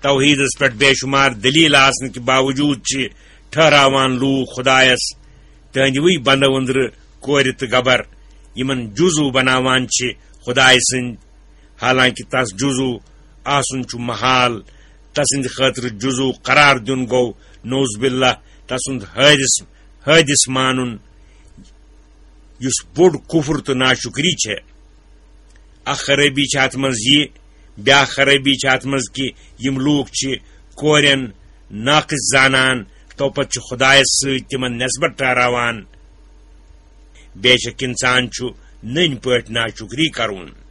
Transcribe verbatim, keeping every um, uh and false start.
توحیدس پٮ۪ٹھ بے شمار دلیل آسنہٕ کہِ باوجود چھِ ٹھہراوان لوٗکھ خدایس تہنٛدِوٕے بندو أنٛدرٕ کورِ تہٕ گبر، یِمن جزو بناوان چھِ خدایہِ سٕنٛدۍ، حالانکہِ تس جزو آسُن چھُ محال۔ تسٕنٛدِ خٲطرٕ جزو قرار دیُن گوٚو، نعوذ باللہ، تسُنٛد حٲدث حٲدث مانُن، یُس بوٚڑ کفر تہٕ ناشکری چھےٚ۔ اکھ خرٲبی چھِ اتھ منٛز یہِ، بیاکھ خرٲبی چھِ اتھ منٛز کہِ یِم لوٗکھ چھِ کورٮ۪ن ناقص زانان، تو پتہٕ چھِ خدایس سۭتۍ تِمن نسبت ٹھہراوان۔ بے شک انسان چھُ نٔنۍ پٲٹھۍ ناشکری کرُن۔